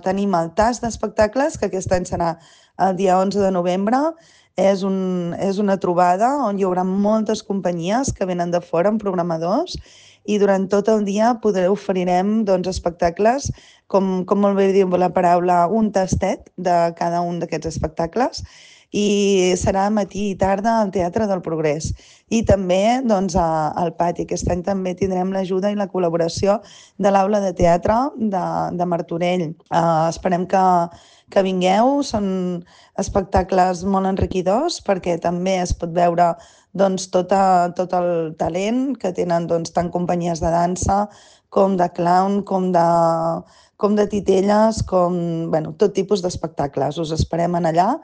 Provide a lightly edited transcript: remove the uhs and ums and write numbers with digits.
tenim el TAS d'espectacles, que aquest any serà el dia 11 de novembre. És una trobada on hi haurà moltes companyies que venen de fora amb programadors i durant tot el dia oferirem espectacles, com molt bé diu la paraula, un tastet de cada un d'aquests espectacles, i serà matí i tarda al Teatre del Progrés i també al pati. Aquest any també tindrem l'ajuda i la col·laboració de l'Aula de Teatre de Martorell. Esperem que vingueu, són espectacles molt enriquidors perquè també es pot veure tot el talent que tenen tant companyies de dansa com de clown, com de titelles, tot tipus d'espectacles. Us esperem allà.